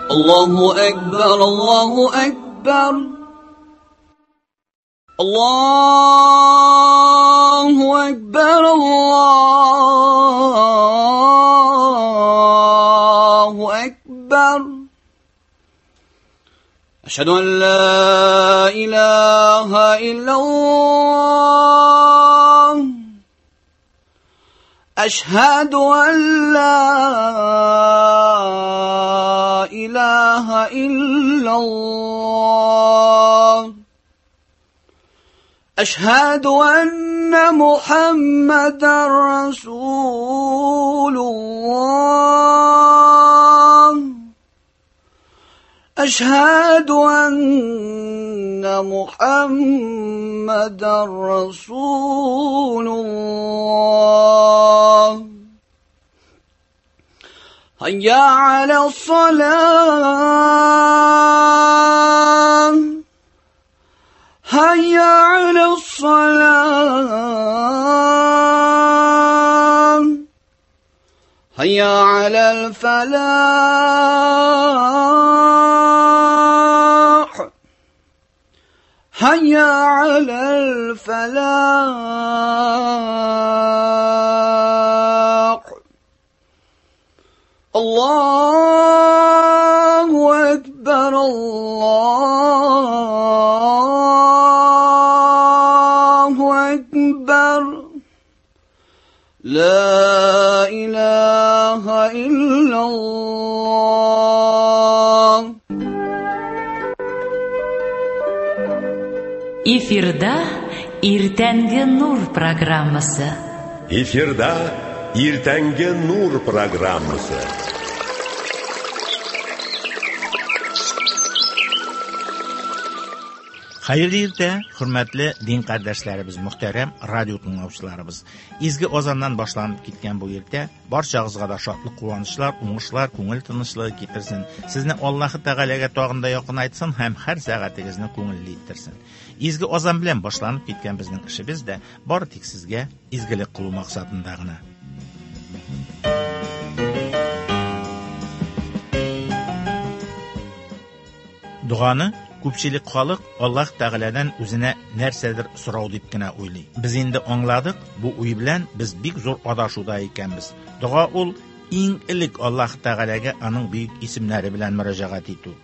Allahu Akbar, Allahu Akbar. Allahu Akbar, Allahu Akbar. أشهد أن لا إله إلا الله. أشهد أن لا إله إلا الله. أشهد أن محمدا رسول الله. أشهد أن محمدا رسول الله. هيا على الصلاة، هيا على الصلاة، هيا على الفلاح، هيا على الفلاح. الله أكبر، الله أكبر، لا إله إلا الله. Эфирда Иртәнге нур программасы. Эфирда Иртәнге нур программасы. Хәерле иртә, хөрмәтле дин кардәшләребез, мөхтәрәм радио тыңлаучыларыбыз. Изге азаннан башланып киткән бу иртә барчагызга да шатлык, куанычлар, уңышлар, күңел тынычлыгы китерсен. Сезне Аллаһы Тәгаләгә тагын да якынайтсын һәм һәр сәгатегезне күңелле иттерсен. Изге азан белән башланып киткән безнең эшебез дә бары тик сезгә изгелек кылу максатында гына. Доганы күпчелек халык Аллаһ Тәгаләдән үзенә нәрсәдер сорау дип кенә уйлый. Без инде аңладык, бу уй белән без бик зур адашуда икәнбез. Дога ул иң элек Аллаһ Тәгаләгә аның бөек исемнәре белән мөрәҗәгать итү.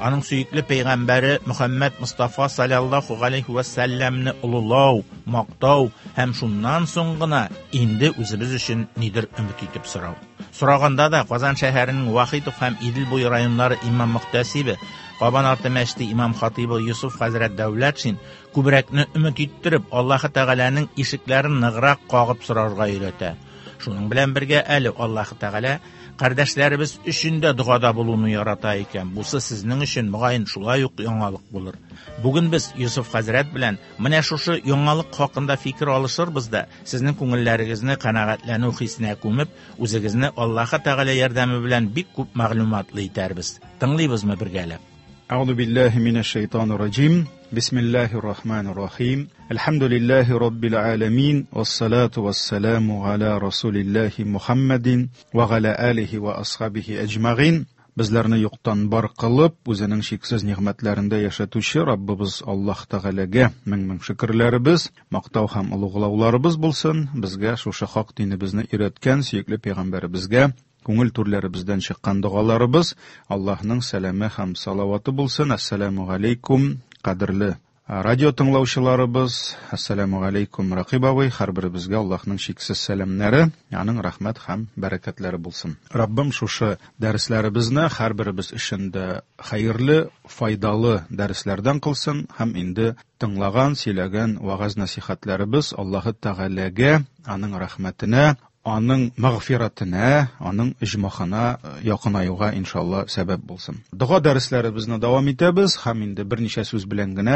Аның сөекле пәйгамбәре Мөхәммәд Мустафа саллаллаһу галәйһи вә сәлләмне олылау, мактау һәм шуннан соң гына инде үзебез өчен нидер өмет итеп сорау. Сораганда да Казан шәһәренең Вахитов һәм Идел буе районнары имам мөхтәсибе, Кабан арты мәчете имам хатибы Юсуф хәзрәт Дәүләтшин күбрәкне өмет иттереп, Аллаһы Тәгаләнең ишекләрен ныграк кагып сорарга өйрәтә. Шуның белән бергә әле Аллаһы Тәгалә кардәшләребез өчен дә догада булуны ярата икән. Бусы сезнең өчен мөгаен шулай ук яңалык булыр. Бүген без Юсуф хәзрәт белән менә шушы яңалык хакында фикер алышырбыз да, сезнең күңелләрегезне канәгатьләнү хисенә күмеп, үзегезне Аллаһы Тәгалә ярдәме белән бик күп мәгълүматлы итәрбез. Тыңлыйбызмы бергәләп? أعوذ بالله من الشيطان الرجيم. بسم الله الرحمن الرحيم. الحمد لله رب العالمين، والصلاة والسلام على رسول الله محمد وعلى آله وأصحابه أجمعين. Bizlarni yo'qdan bor qilib, o'zining cheksiz ne'matlarida yashatuvchi Rabbimiz Alloh Taolaga ming-ming shukrlarimiz, maqtov ham ulug'lovlarimiz bo'lsin. Bizga shu haq dinimizni o'rgatgan suyukli payg'ambarimizga ko'ngil to'rlarimizdan chiqqan duolarimiz Allohning salami ham salovati bo'lsin. Assalomu alaykum qadrli radio tinglovchilarimiz, assalomu alaykum Raqib абый, har birimizga Allohning cheksiz salamlari, aning rahmat ham barakatlari bo'lsin. Rabbim shushu darslarimizni har birimiz ishinde xayrli, foydali darslardan qilsin ham endi tinglagan, сөйләгән вагаз nasihatlarimiz Alloh Taolaga, aning rahmatini, аның мәгъфиратына, аның иҗмахына якынаюга иншалла сәбәп булсын. Дога дәресләребезне дәвам итәбез һәм инде берничә сүз белән генә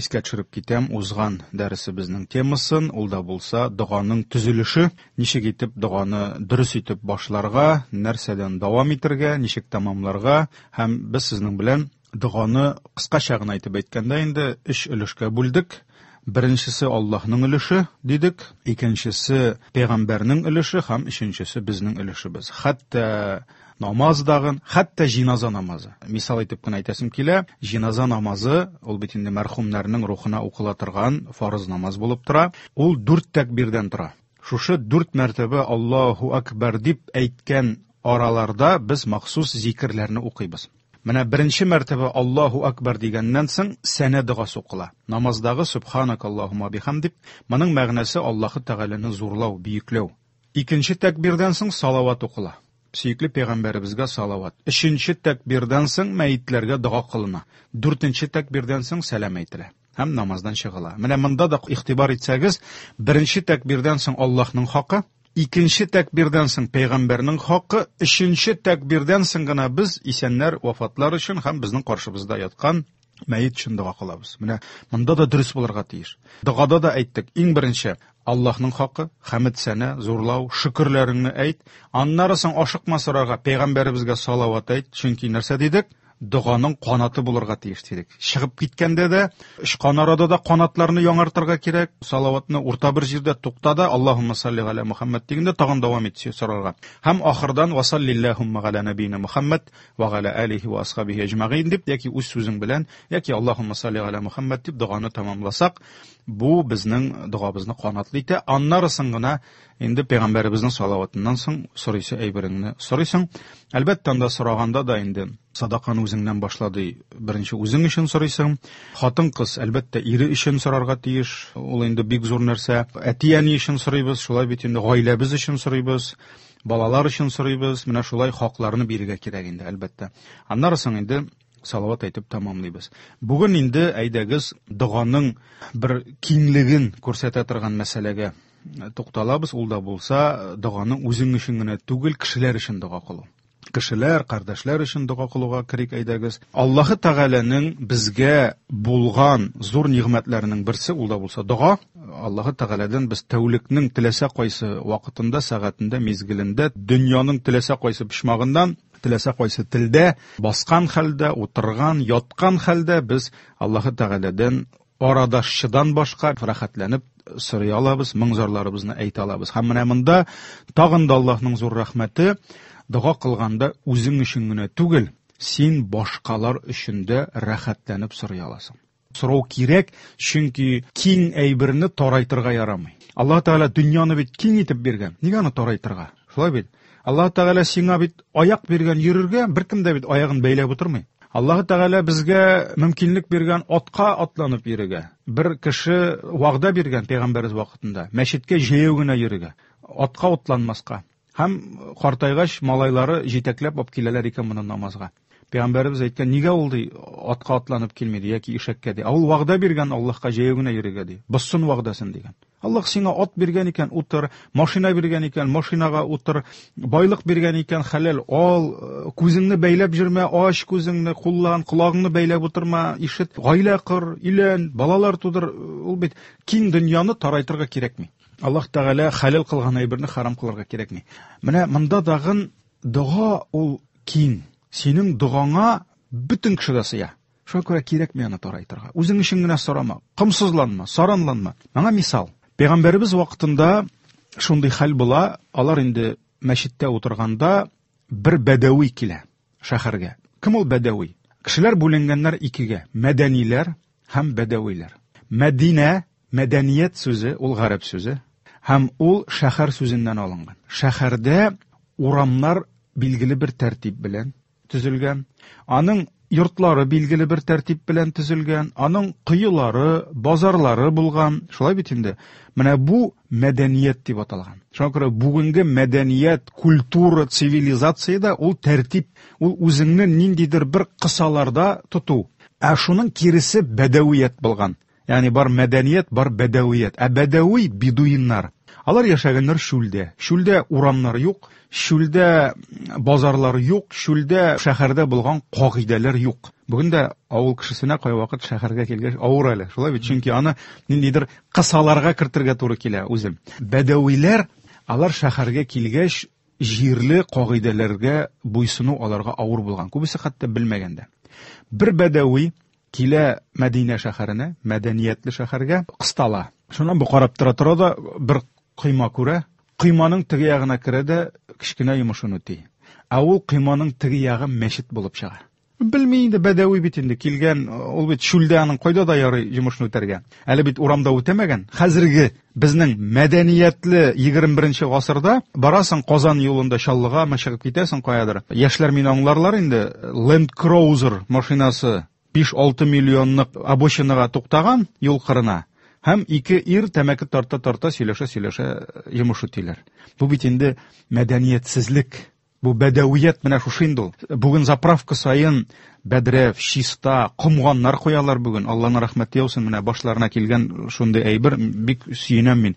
искә төшереп китәм узган дәресебезнең темасын, ул да булса доганың төзелеше, ничек итеп доганы дөрес итеп башларга, нәрсәдән дәвам итәргә, ничек тәмамларга һәм без сезнең белән доганы кыскача гына әйтеп әйткәндә инде өч өлешкә бүлдек. Беренчесе Аллаһның өлеше дидек, икенчесе пәйгамбәрнең өлеше һәм өченчесе безнең өлешебез. Хәтта Намаз дагын, хәтта җиназа намазы. Мисал итеп кенә әйтәсем килә, җиназа намазы, ул бит инде мәрхүмнәрнең рухына укыла торган фарыз намаз булып тора. Ул дүрт тәкбирдән тора. Шушы дүрт мәртәбә Аллаһу акбар дип әйткән араларда без махсус зикерләрне укыйбыз. Менә беренче мәртәбә Аллаһу акбар дигәннән соң сәнә догасы укыла. Намаздагы Субханак Аллаһумма бихамдик, моның мәгънәсе Аллаһы Тәгаләне зурлау, бөекләү. Икенче тәкбирдән соң салават укыла. Сөекле пәйгамбәребезгә салават. Өченче тәкбирдән соң мәетләргә дога кылына. Дүртенче тәкбирдән соң сәлам әйтелә һәм намаздан чыгыла. Менә монда да игътибар итсәгез, беренче тәкбирдән соң Аллаһның хакы, икенче тәкбирдән соң пәйгамбәрнең хакы, өченче тәкбирдән соң гына без исәннәр, вафатлар өчен һәм безнең каршыбызда яткан мәет өчен дога кылабыз. Менә монда да дөрес булырга тиеш. Догада да әйттек, иң беренче Аллаһның хакы, хәмд сәнә, зурлау, шөкерләреңне әйт. Аннары соң ашыкма сорарга, пәйгамбәребезгә салават әйт, чөнки нәрсә дидек? Доганың канаты булырга тиеш дидек. Чыгып киткәндә дә, очкан арада да канатларны яңартырга кирәк. Салаватны урта бер җирдә тукта да, Аллаһумма салли галя Мухаммад дигәндә тагын дәвам ит сорарга. Һәм ахырдан ва саллиллахумма галя набина Мухаммад ва галя алихи ва асхабихи әҗмәгыйн дип, яки үз сүзең белән, яки Аллаһумма салли галя Мухаммад дип доганы тамамласак, бу безнең догабызны канатлы итә. Аннары соң гына инде пәйгамбәребезнең салаватыннан соң сорыйсы әйбереңне сорыйсың. Әлбәттә, анда сораганда да инде садаканы үзеңнән башла ди. Беренче үзең өчен сорыйсың. Хатын-кыз, әлбәттә, ире өчен сорарга тиеш. Ул инде бик зур нәрсә. Әти-әни өчен сорыйбыз, шулай бит инде гаиләбез өчен сорыйбыз, балалар өчен сорыйбыз. Менә шулай хакларны бирергә кирәк инде, әлбәттә. Аннары соң инде салават әйтеп тамамлыйбыз. Бүген инде әйдәгез доганың бер киңлеген күрсәтә торган мәсьәләгә тукталабыз. Ул да булса доганың үзең өчен генә түгел, кешеләр өчен дога кылу. Кешеләр, кардәшләр өчен дога кылуга керик әйдәгез. Аллаһы Тәгаләнең безгә булган зур нигъмәтләренең берсе ул да булса дога. Аллаһы Тәгаләдән без тәүлекнең теләсә кайсы вакытында, сәгатендә, мизгелендә, дөньяның теләсә кайсы почмагыннан, теләсә кайсы телдә, баскан хәлдә, утырган, яткан хәлдә без Аллаһы Тәгаләдән арадашчыдан башка рәхәтләнеп сорый алабыз, моң-зарларыбызны әйтә алабыз. Һәм менә монда тагын да Аллаһның зур рәхмәте, дога кылганда үзең өчен генә түгел, син башкалар өчен дә рәхәтләнеп сорый аласың. Сорау кирәк, чөнки киң әйберне тарайтырга ярамый. Аллаһ Тәгалә дөньяны бит киң итеп биргән. Нигә аны тарайтырга? Шулай бит? Аллаһ Тәгалә сиңа бит аяк биргән йөрергә, беркем дә бит аягын бәйләп утырмый. Аллаһ Тәгалә безгә мөмкинлек биргән атка атланып йөрергә. Бер кеше вәгъдә биргән пәйгамбәребез вакытында, мәчеткә җәяү генә йөрергә, атка атланмаска. Һәм картайгач малайлары җитәкләп алып киләләр икән моны намазга. Пәйгамбәребез әйткән, нигә ул ди атка атланып килми ди яки ишәккә ди. Ә ул вәгъдә биргән Аллаһка җәяү генә йөрергә ди. Бозсын вәгъдәсен дигән. Аллаһ сиңа ат биргән икән, утыр, машина биргән икән, машинага утыр, байлык биргән икән, хәләл ал, күзеңне бәйләп йөрмә, ач күзеңне, куллан, колагыңны бәйләп утырма, ишет, гаилә кор, өйлән, балалар тудыр. Ул бит киң дөньяны тарайтырга кирәкми. Аллаһ Тәгалә хәләл кылган әйберне харам кылырга кирәкми. Менә монда дагын дога ул киң. Синең догаңа бөтен кеше дә сыя. Шуңа күрә кирәкми аны тарайтырга. Үзең өчен генә сорама, комсызланма, саранланма. Моңа мисал. Пәйгамбәребез вакытында шундый хәл була, алар инде мәчеттә утырганда бер бәдәви килә шәһәргә. Кем ул бәдәви? Кешеләр бүленгәннәр икегә: мәдәниләр һәм бәдәвиләр. Мәдинә, мәдәният сүзе, ул гарәп сүзе, һәм ул шәһәр сүзеннән алынган. Шәһәрдә урамнар билгеле бер тәртип белән төзелгән, аның йортлары билгеле бер тәртип белән төзелгән, аның коелары, базарлары булган. Шулай бит инде. Менә бу мәдәният дип аталган. Шуңа күрә бүгенге мәдәният, культура, цивилизация дә ул тәртип, ул үзеңне ниндидер бер кысаларда тоту. Ә шуның киресе бәдәвият булган. Ягъни бар мәдәният, бар бәдәвият. Ә бәдәви бедуиннар. Алар яшәгәннәр чүлдә. Чүлдә урамнар юк, чүлдә базарлар юк, чүлдә шәһәрдә булган кагыйдәләр юк. Бүген дә авыл кешесенә кайвакыт шәһәргә килгәч авыр әле. Шулай бит, чөнки аны ниндидер кысаларга кертергә туры килә үзен. Бәдәвиләр, алар шәһәргә килгәч, җирле кагыйдәләргә буйсыну аларга авыр булган. Күбесе хәтта белмәгән дә. Бер бәдәви килә Мәдинә шәһәренә, мәдәниятле шәһәргә, кыстала. Шуннан бу карап тора-тора да бер койма күрә. Койманың теге ягына керә дә кечкенә йомышын үти. Ә ул койманың теге ягы мәчет булып чыга. Белми инде, бәдәви бит инде килгән, ул бит чүлдә аның кайда да ярый йомышны үтәргә. Әле бит урамда үтәмәгән. Хәзерге безнең мәдәниятле 21 гасырда барасың Казан юлында Чаллыгамы чыгып китәсең каядыр. Яшьләр мине аңларлар инде, Land Cruiser машинасы 5-6 миллионлык обочинага туктаган юл кырына. Һәм ике ир тәмәке тарта-тарта сөйләшә-сөйләшә йомыш үтиләр. Бу бит инде мәдәниятсезлек. Бу бәдәвият менә шушы инде ул. Бүген заправка саен бәдрәф, чиста, комганнар куялар бүген. Алланың рәхмәте яусын, менә башларына килгән шундый әйбер, бик сөенәм мин.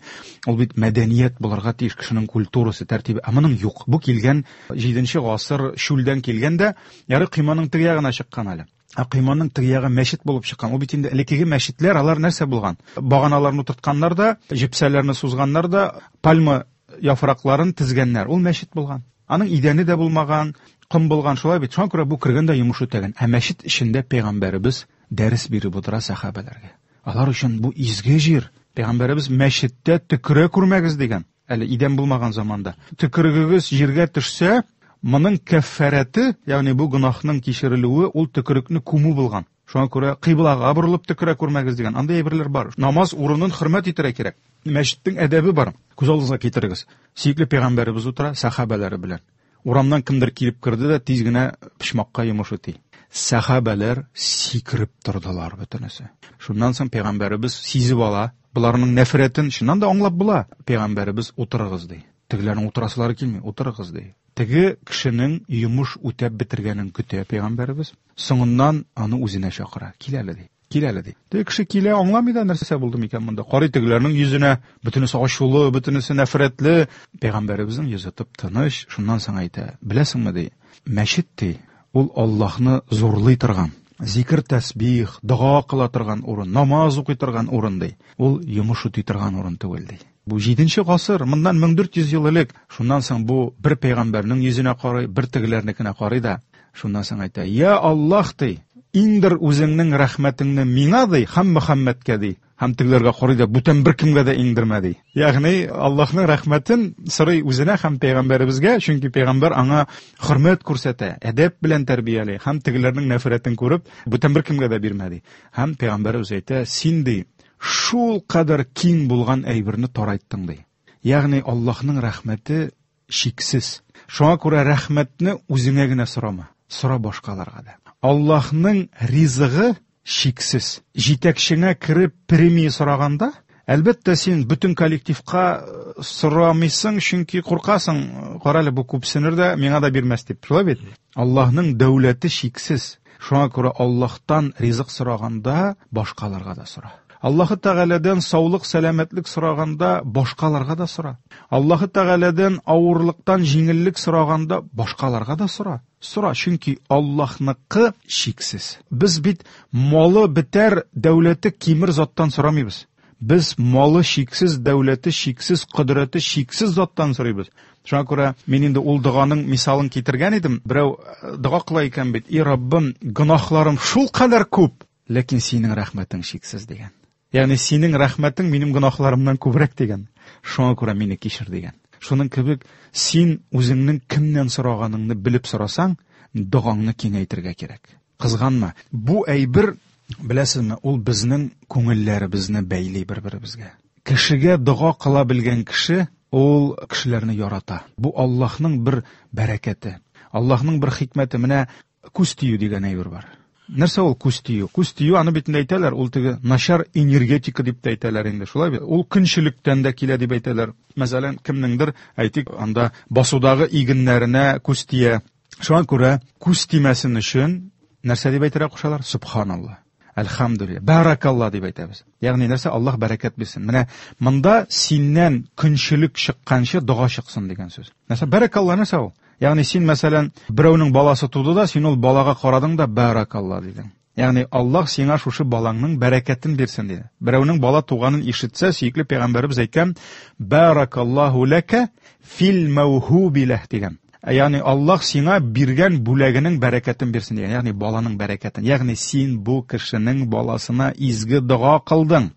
Ул бит мәдәният булырга тиеш, кешенең культурасы, тәртибе. Ә моның юк. Бу килгән 7 гасыр чүлдән килгән дә, ярый койманың теге ягына чыккан әле. Ә койманың теге ягы мәчет булып чыккан. Ул бит инде элеккеге мәчетләр, алар нәрсә булган? Баганаларны утыртканнар да, җепсәләрне сузганнар да, пальма яфракларын тезгәннәр. Ул мәчет булган. Аның идәне дә булмаган, ком булган, шулай бит. Шуңа күрә бу кергән дә йомыш үтәгән. Ә мәчет эчендә пәйгамбәребез дәрес биреп утыра сәхабәләргә. Алар өчен бу изге җир. Пәйгамбәребез мәчеттә төкерә күрмәгез дигән. Әле идән булмаган заманда. Төкерегегез җиргә төшсә, моның кәффәрәте, ягъни бу гөнаһның кичерелүе, ул төкерекне күмү булган. Шуңа күрә кыйблага борылып төкерә күрмәгез дигән. Андый әйберләр бар. Намаз урынын хөрмәт итәргә кирәк. Мәчеттең әдәбе бар. Күз алдыгызга китерегез. Сөекле пәйгамбәребез утыра сәхабәләре белән. Урамнан кемдер килеп керде дә тиз генә почмакка йомыш үти. Сәхабәләр сикереп тордылар бөтенесе. Шуннан соң пәйгамбәребез сизеп ала, боларның нәфрәтен чыннан да аңлап була. Пәйгамбәребез утырыгыз ди. Тегеләрнең утырасылары килми, утырыгыз ди. Теге кешенең йомыш үтәп бетергәнен көтә пәйгамбәребез. Соңыннан аны үзенә чакыра. Кил әле ди. Кил әле ди. Теге кеше килә, аңламый да нәрсә булды микән монда. Карый тегеләрнең йөзенә, бөтенесе ачулы, бөтенесе нәфрәтле. Пәйгамбәребезнең йөзе тып-тыныч, шуннан соң әйтә: "Беләсеңме ди, мәчет ди, ул Аллаһны зурлый торган, зикр тәсбих, дога кыла торган урын, намаз укый торган урын ди. Ул йомыш үти торган урын түгел ди." Бу 7 гасыр, моннан 1400 ел элек. Шуннан соң бу бер пәйгамбәрнең йөзенә карый, бер тегеләрнекенә карый да, шуннан соң әйтә: "Я Аллаһ ди, иңдер үзеңнең рәхмәтеңне миңа ди, һәм Мөхәммәдкә ди." Һәм тегеләргә карый да, бүтән беркемгә дә иңдермә ди. Ягъни Аллаһның рәхмәтен сорый үзенә һәм пәйгамбәребезгә, чөнки пәйгамбәр аңа хөрмәт күрсәтә, әдәп белән тәрбияли, һәм тегеләрнең нәфрәтен күреп, бүтән беркемгә дә бирмә ди. Һәм пәйгамбәребез әйтә: "Син ди, шул кадәр киң булган әйберне тарайттың ди." Ягъни Аллаһның рәхмәте чиксез. Шуңа күрә рәхмәтне үзеңә генә сорама, сора башкаларга да. Аллаһның ризыгы чиксез. Җитәкчеңә кереп премия сораганда, әлбәттә, син бөтен коллективка сорамыйсың, чөнки куркасың, кара әле бу күпсенер дә, миңа да бирмәс дип. Шулай бит? Аллаһның дәүләте чиксез. Шуңа күрә Аллаһтан ризык сораганда башкаларга да сора. Аллаһы Тәгаләдән саулык, сәламәтлек сораганда башкаларга да сора. Аллаһы Тәгаләдән авырлыктан җиңеллек сораганда башкаларга да сора. Сора, чөнки Аллаһныкы чиксез. Без бит малы бетәр, дәүләте кимер заттан сорамыйбыз. Без малы чиксез, дәүләте чиксез, кодрәте чиксез заттан сорыйбыз. Шуңа күрә мин инде ул доганың мисалын китергән идем. Берәү дога кыла икән бит: "И Раббым, гөнаһларым шул кадәр күп, ләкин синең рәхмәтең чиксез" дигән. Ягъни синең рәхмәтең минем гөнаһларымнан күбрәк дигән. Шуңа күрә мине кичер дигән. Шуның кебек син үзеңнең кемнән сораганыңны белеп сорасаң, догаңны киңәйтергә кирәк. Кызганма. Бу әйбер, беләсезме, ул безнең күңелләребезне бәйли бер-беребезгә. Кешегә дога кыла белгән кеше, ул кешеләрне ярата. Бу Аллаһның бер бәрәкәте, Аллаһның бер хикмәте. Менә күз тию дигән әйбер бар. Нәрсә ул күз тию? Күз тию, аны бит инде әйтәләр, ул теге начар энергетика дип тә әйтәләр инде, шулай бит? Ул көнчелектән дә килә дип әйтәләр. Мәсәлән, кемнеңдер, әйтик, анда басудагы игеннәренә күз тия. Шуңа күрә күз тимәсен өчен нәрсә дип әйтергә кушалар? Субханалла, әлхәмдүлилләһ, бәрәкалла дип әйтәбез. Ягъни нәрсә? Аллаһ бәрәкәт бирсен. Менә монда синнән көнчелек чыкканчы дога чыксын дигән сүз. Нәрсә? Бәрәкалла нәрсә ул? Ягъни син, мәсәлән, берәүнең баласы туды да, син ул балага карадың да бәрәкалла дидең. Ягъни Аллаһ сиңа шушы балаңның бәрәкәтен бирсен диде. Берәүнең бала туганын ишетсә, сөекле пәйгамбәребез әйткән: "Бәрәкаллаһу ләкә фил мәүһуби ләһ" дигән. Ягъни Аллаһ сиңа биргән бүләгенең бәрәкәтен бирсен дигән. Ягъни баланың бәрәкәтен. Ягъни син бу кешенең баласына изге дога кылдың.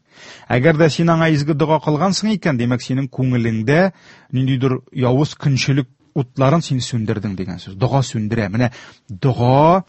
Әгәр дә син аңа изге дога кылгансың икән, димәк, синең күңелеңдә ниндидер явыз көнчелек утларын син сүндердең дигән сүз. Дога сүндерә. Менә дога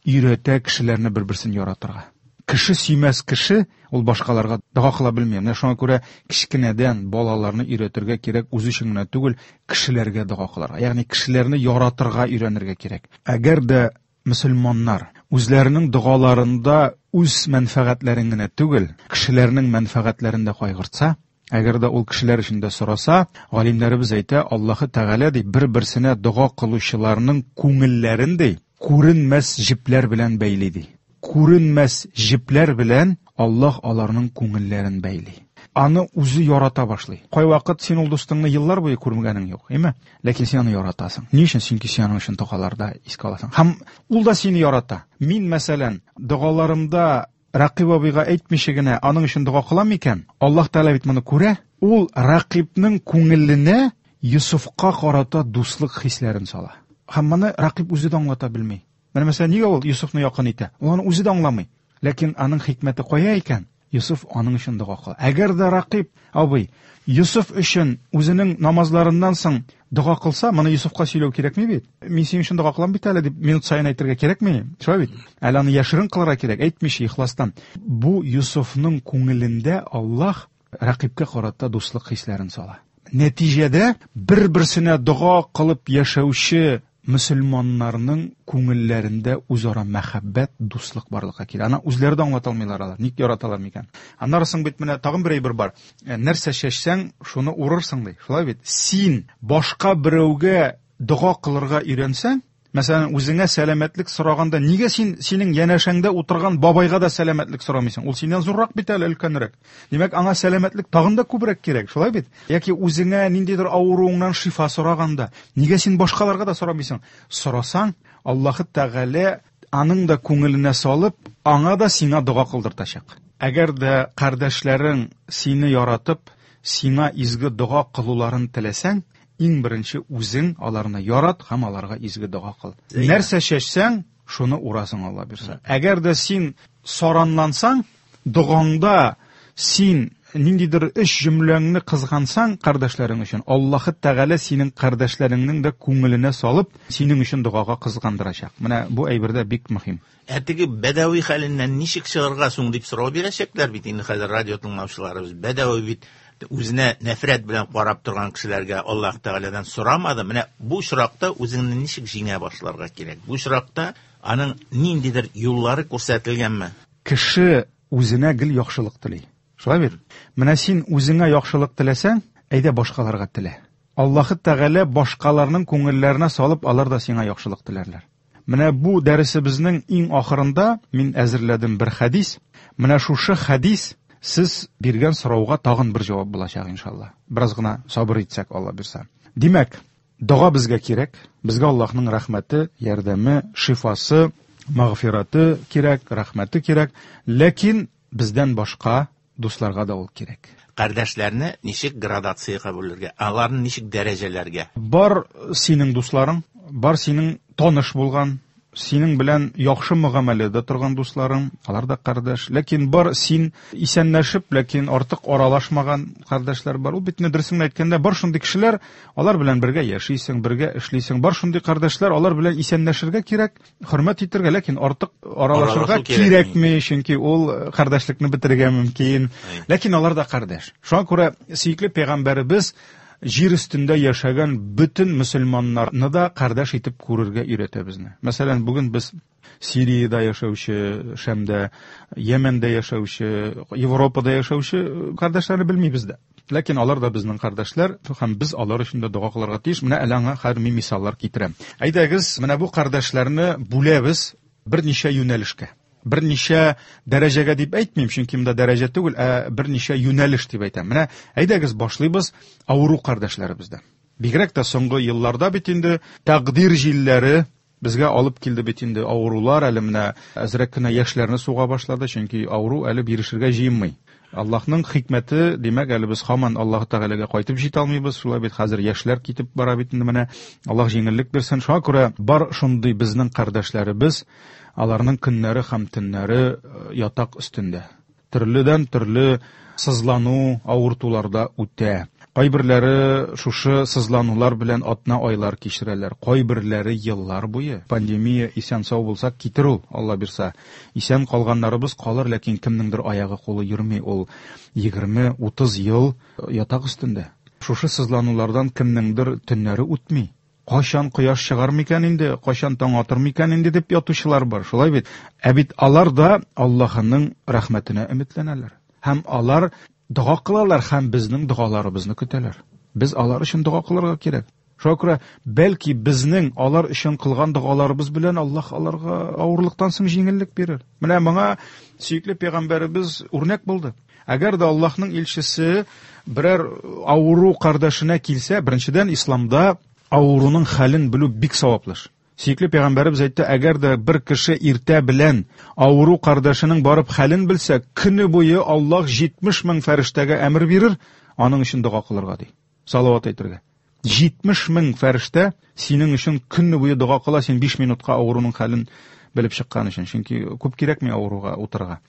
өйрәтә кешеләрне бер-берсен яратырга. Кеше сөймәс кеше, ул башкаларга дога кыла белми. Менә шуңа күрә кечкенәдән балаларны өйрәтергә кирәк, үз өчен генә түгел, кешеләргә дога кылырга. Ягъни кешеләрне яратырга өйрәнергә кирәк. Әгәр дә мөселманнар үзләренең догаларында үз мәнфәгатьләрен генә түгел, кешеләрнең мәнфәгатьләрен дә кайгыртса, әгәр дә ул кешеләр өчен дә сораса, галимнәребез әйтә, Аллаһы Тәгалә ди, бер-берсенә дога кылучыларның күңелләрен ди, күренмәс җепләр белән бәйли ди. Күренмәс җепләр белән Аллаһ аларның күңелләрен бәйли. Аны үзе ярата башлый. Кайвакыт син ул дустыңны еллар буе күрмәгәнең юк, әйме? Ләкин син аны яратасың. Ни өчен? Чөнки син аның өчен догаларда искә аласың. Һәм ул да сине ярата. Мин, мәсәлән, догаларымда Рәкыйб абыйга әйтмичә генә аның өчен дога кылам икән, Аллаһ Тәгалә бит моны күрә. Ул Рәкыйбның күңеленә Йосыфка карата дуслык хисләрен сала. Һәм моны Рәкыйб үзе дә аңлата белми. Менә мәсәлән, нигә ул Йосыфны якын итә? Ул аны үзе дә аңламый. Ләкин аның хикмәте кая икән? Йосыф аның өчен дога кыла. Әгәр дә Рәкыйб абый Йосыф өчен үзенең намазларыннан соң дога кылса, моны Йосыфка сөйләү кирәкми бит. Мин синең өчен дога кылам бит әле дип минут саен әйтергә кирәкми. Шулай бит? Әле аны яшерен кылырга кирәк, әйтмичә ихластан. Бу Йосыфның күңелендә Аллаһ Рәкыйбкә карата дуслык хисләрен сала. Нәтиҗәдә бер-берсенә дога кылып яшәүче мөселманнарның күңелләрендә үзара мәхәббәт, дуслык барлыкка килә. Аны үзләре дә аңлата алмыйлар алар. Ник яраталар микән? Аннары соң бит менә тагын бер әйбер бар. Нәрсә чәчсәң, шуны урырсың ди. Шулай бит? Син башка берәүгә дога кылырга өйрәнсәң, мәсәлән, үзеңә сәламәтлек сораганда, нигә син синең янәшәңдә утырган бабайга да сәламәтлек сорамыйсың? Ул синнән зуррак бит әле, өлкәнрәк. Димәк, аңа сәламәтлек тагын да күбрәк кирәк, шулай бит? Яки үзеңә ниндидер авыруыңнан шифа сораганда, нигә син башкаларга да сорамыйсың? Сорасаң, Аллаһы Тәгалә аның да күңеленә салып, аңа да сиңа дога кылдыртачак. Әгәр дә кардәшләрең сине яратып, сиңа изге дога кылуларын теләсәң, иң беренче үзең аларны ярат һәм аларга изге дога кыл. Нәрсә чәчсәң, шуны урасың, Алла бирсә. Әгәр дә син саранлансаң, догаңда син ниндидер өч җөмләңне кызгансаң кардәшләрең өчен, Аллаһы Тәгалә синең кардәшләреңнең дә күңеленә салып, синең өчен догага кызгандырачак. Менә бу әйбер дә бик мөһим. Ә теге бәдәви хәленнән ничек чыгарга соң дип сорау бирәчәкләр бит инде хәзер радио тыңлаучыларыбыз. Бәдәви бит үзенә нәфрәт белән карап торган кешеләргә Аллаһ Тәгаләдән сорамады. Менә бу очракта үзеңне ничек җиңә башларга кирәк? Бу очракта аның ниндидер юллары күрсәтелгәнме? Кеше үзенә гел яхшылык тели. Шулай бит? Менә син үзеңә яхшылык теләсәң, әйдә башкаларга телә. Аллаһы Тәгалә башкаларның күңелләренә салып, алар да сиңа яхшылык теләрләр. Менә бу дәресебезнең иң ахырында мин әзерләдем бер хәдис. Менә шушы хәдис сез биргән сорауга тагын бер җавап булачак, иншалла. Бераз гына сабыр итсәк, Алла бирсә. Димәк, дога безгә кирәк. Безгә Аллаһның рәхмәте, ярдәме, шифасы, мәгъфираты кирәк, рәхмәте кирәк. Ләкин бездән башка дусларга да ул кирәк. Кардәшләрне ничек градациягә бүлергә, аларны ничек дәрәҗәләргә? Бар синең дусларың, бар синең таныш булган, синең белән яхшы мөгамәләдә торган дусларың, алар да кардәш. Ләкин бар син исәнләшеп, ләкин артык аралашмаган кардәшләр бар. Ул бит инде дөресен әйткәндә, бар шундый кешеләр, алар белән бергә яшисең, бергә эшлисең. Бар шундый кардәшләр, алар белән исәнләшергә кирәк, хөрмәт итәргә, ләкин артык аралашырга кирәкми, чөнки ул кардәшлекне бетерергә мөмкин. Ләкин алар да кардәш. Шуңа күрә сөекле пәйгамбәребез җир өстендә яшәгән бөтен мөселманнарны да кардәш итеп күрергә өйрәтә безне. Мәсәлән, бүген без Сириядә яшәүче, Шәмдә, Йәмәндә яшәүче, Европада яшәүче кардәшләрне белмибез дә. Ләкин алар да безнең кардәшләр һәм без алар өчен дә дога кылырга тиеш. Менә әле аңа хәзер мин мисаллар китерәм. Әйдәгез, менә бу кардәшләрне бүләбез берничә юнәлешкә. Берничә дәрәҗәгә дип әйтмим, чөнки монда дәрәҗә түгел, ә берничә юнәлеш дип әйтәм. Менә әйдәгез башлыйбыз авыру кардәшләребездән. Бигрәк тә соңгы елларда бит инде тәкъдир җилләре безгә алып килде бит инде авырулар, әле менә әзрәк кенә яшьләрне суга башлады, чөнки авыру әле бирешергә җыенмый. Аллаһның хикмәте, димәк, әле без һаман Аллаһ Тәгаләгә кайтып җитә алмыйбыз, шулай бит хәзер яшьләр китеп бара бит инде менә. Аллаһ җиңеллек бирсен. Шуңа күрә бар шундый безнең кардәшләребез, аларның көннәре һәм төннәре ятак өстендә. Төрледән төрле сызлану, авыртуларда үтә. Кайберләре шушы сызланулар белән атна айлар кичерәләр, кайберләре еллар буе. Пандемия исән сау булсак китер ул, Алла бирса. Исән калганнарыбыз калыр, ләкин кемнеңдер аягы кулы йөрми, ул 20-30 ел ятак өстендә. Шушы сызланулардан кемнеңдер төннәре үтми. Кайчан кояш чыгар микән инде, кайчан таң атыр микән инде дип ятучылар бар, шулай бит? Ә бит алар да Аллаһының рәхмәтенә өметләнәләр. Һәм алар дога кылалар һәм безнең догаларыбызны көтәләр. Без алар өчен дога кылырга кирәк. Шуңа күрә бәлки безнең алар өчен кылган догаларыбыз белән Аллаһ аларга авырлыктан соң җиңеллек бирер. Менә моңа сөекле пәйгамбәребез үрнәк булды. Әгәр дә Аллаһның илчесе берәр авыру кардәшенә килсә, беренчедән исламда авыруның хәлен белү бик саваплы эш. Сөекле пәйгамбәребез әйтте, әгәр дә бер кеше иртә белән авыру кардәшенең барып хәлен белсә, көне буе Аллаһ 70 мең фәрештәгә әмер бирер, аның өчен дога кылырга ди. Салават әйтергә. 70 мең фәрештә синең өчен көне буе дога кыла, син 5 минутка авыруның хәлен белеп чыккан өчен. Чөнки күп кирәкми авыруга утырырга.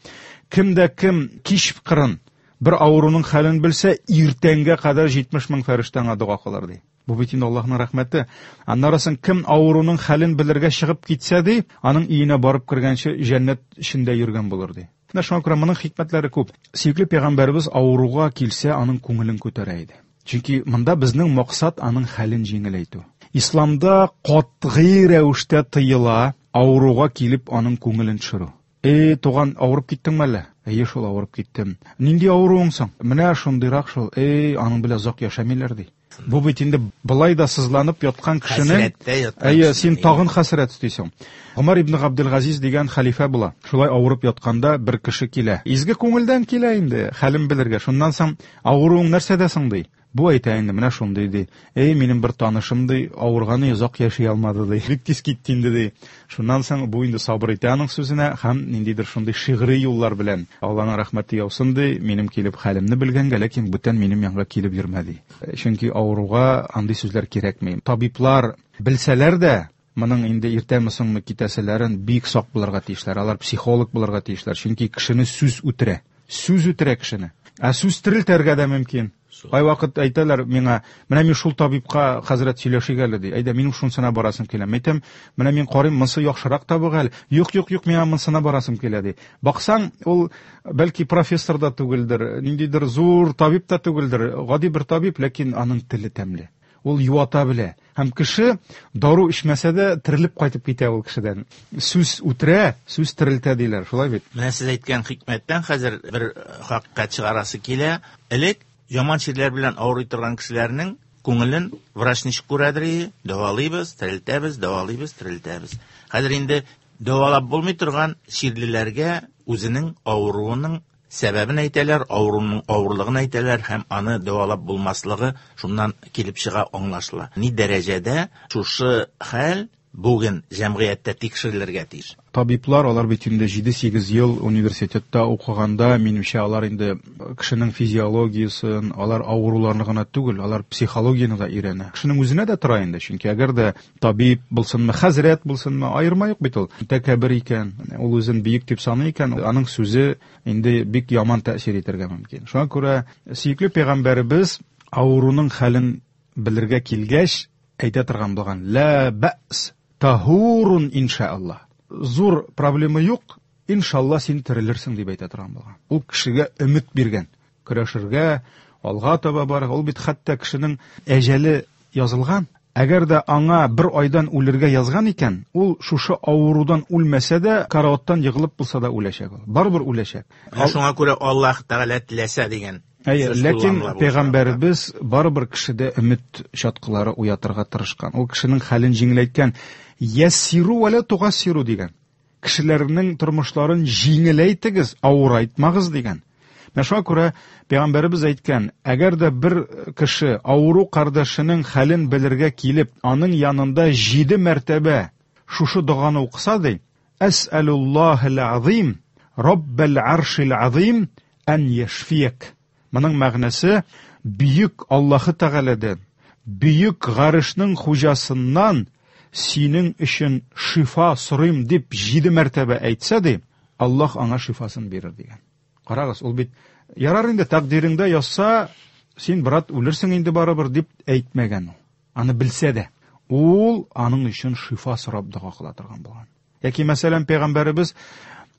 Кем дә кем кич кырын бер авыруның хәлен белсә, иртәнгә кадәр 70 мең фәрештә аңа дога кылыр ди. Бу бит инде Аллаһның рәхмәте. Аннары соң кем авыруның хәлен белергә чыгып китсә ди, аның өенә барып кергәнче җәннәт эчендә йөргән булыр ди. Менә шуңа күрә моның хикмәтләре күп. Сөекле пәйгамбәребез авыруга килсә, аның күңелен күтәрә иде. Чөнки монда безнең максат аның хәлен җиңеләйтү. Исламда катгый рәвештә тыела авыруга килеп аның күңелен төшерү. Эй, туган, авырып киттеңме әллә? Әйе шул, авырып киттем. Нинди авыруың соң? Менә шундыйрак шул. Эй, аның белән озак яшәмиләр ди. Бу бит инде былай да сызланып яткан кешенең Әйе, син тагын хәсрәт өстисең. Гомәр ибн Габделгазиз дигән хәлифә була. Шулай авырып ятканда бер кеше килә. Изге күңелдән килә инде, хәлен белергә. Шуннан соң авыруың нәрсәдә соң ди. Бу әйтә инде, менә шундый ди. Эй, минем бер танышым ди, авырганы озак яши алмады ди. Бик тиз китте инде ди. Шуннан соң бу инде сабыр итә аның сүзенә һәм ниндидер шундый шигъри юллар белән Алланың рәхмәте яусын ди, минем килеп хәлемне белгәнгә, ләкин бүтән минем янга килеп йөрмә ди. Чөнки авыруга андый сүзләр кирәкми. Табиблар белсәләр дә, моның инде иртәме соңмы китәселәрен бик сак булырга тиешләр. Алар психолог булырга тиешләр. Чөнки кешене сүз үтерә. Сүз үтерә кешене. Ә сүз терелтәргә дә мөмкин. Кайвакыт әйтәләр миңа, менә мин шул табибка хәзрәт сөйләшик әле ди. Әйдә, минем шунысына барасым килә. Мин әйтәм, менә мин карыйм, монысы яхшырак табык әле. Юк, юк, юк, миңа монысына барасым килә ди. Баксаң, ул бәлки профессор да түгелдер, ниндидер зур табиб та түгелдер, гади бер табиб, ләкин аның теле тәмле. Ул юата белә. Һәм кеше дару эчмәсә дә терелеп кайтып китә ул кешедән. Сүз үтерә, сүз терелтә диләр, шулай бит? Менә сез әйткән хикмәттән хәзер бер хакыйкать чыгарасы килә. Элек яман чирләр белән авырый торган кешеләрнең күңелен врач ничек күрәдер и, дәвалыйбыз, терелтәбез, дәвалыйбыз, терелтәбез. Хәзер инде дәвалап булмый торган чирлеләргә үзенең авыруының сәбәбен әйтәләр, авыруның авырлыгын әйтәләр һәм аны дәвалап булмаслыгы шуннан килеп чыга, аңлашыла. Ни дәрәҗәдә шушы хәл бүген җәмгыятьтә тикшерелергә тиеш. Табиблар, алар бит инде 7-8 ел университетта укыганда, минемчә, алар инде кешенең физиологиясен, алар авыруларны гына түгел, алар психологияне дә өйрәнә. Кешенең үзенә дә тора инде, чөнки әгәр дә табиб булсынмы, хәзрәт булсынмы, аерма юк бит ул. Тәкәббер икән, ул үзен бөек дип саный икән, аның сүзе инде бик яман тәэсир итәргә мөмкин. Шуңа күрә сөекле пәйгамбәребез авыруның хәлен белергә килгәч, әйтә торган булган: "Ла бәс, таһурун иншааллаһ." Зур проблема юк, иншалла син терелерсең дип әйтә торган булган. Ул кешегә өмет биргән, көрәшергә, алга таба барырга. Ул бит хәтта кешенең әҗәле язылган. Әгәр дә аңа бер айдан үлергә язган икән, ул шушы авырудан үлмәсә дә, караваттан егылып булса да үләчәк ул. Барыбер үләчәк. Менә шуңа күрә Аллаһ Тәгалә теләсә дигән Әйе, сүз ләкин кулланыла бу пәйгамбәребез барыбер кешедә өмет чаткылары уятырга тырышкан. Ул кешенең хәлен җиңеләйткән. Яссиру ва ла тугассиру дигән. Кешеләрнең тормышларын җиңеләйтегез, авырайтмагыз дигән. Менә шуңа күрә пәйгамбәребез әйткән, әгәр дә бер кеше авыру кардәшенең хәлен белергә килеп, аның янында 7 мәртәбә шушы доганы укыса ди, Әс'алуллаһил азим, Раббал аршил азим ан яшфияк. Моның мәгънәсе бөек Аллаһы Тәгаләдән, бөек гарышның хуҗасыннан синең өчен шифа сорыйм дип 7 мәртәбә әйтсә ди, Аллаһ аңа шифасын бирер дигән. Карагыз, ул бит ярар инде тәкъдиреңдә язса, Син, брат, үлерсең инде барыбер, дип әйтмәгән ул. Аны белсә дә, ул аның өчен шифа сорап дога кыла торган булган. Яки, мәсәлән, пәйгамбәребез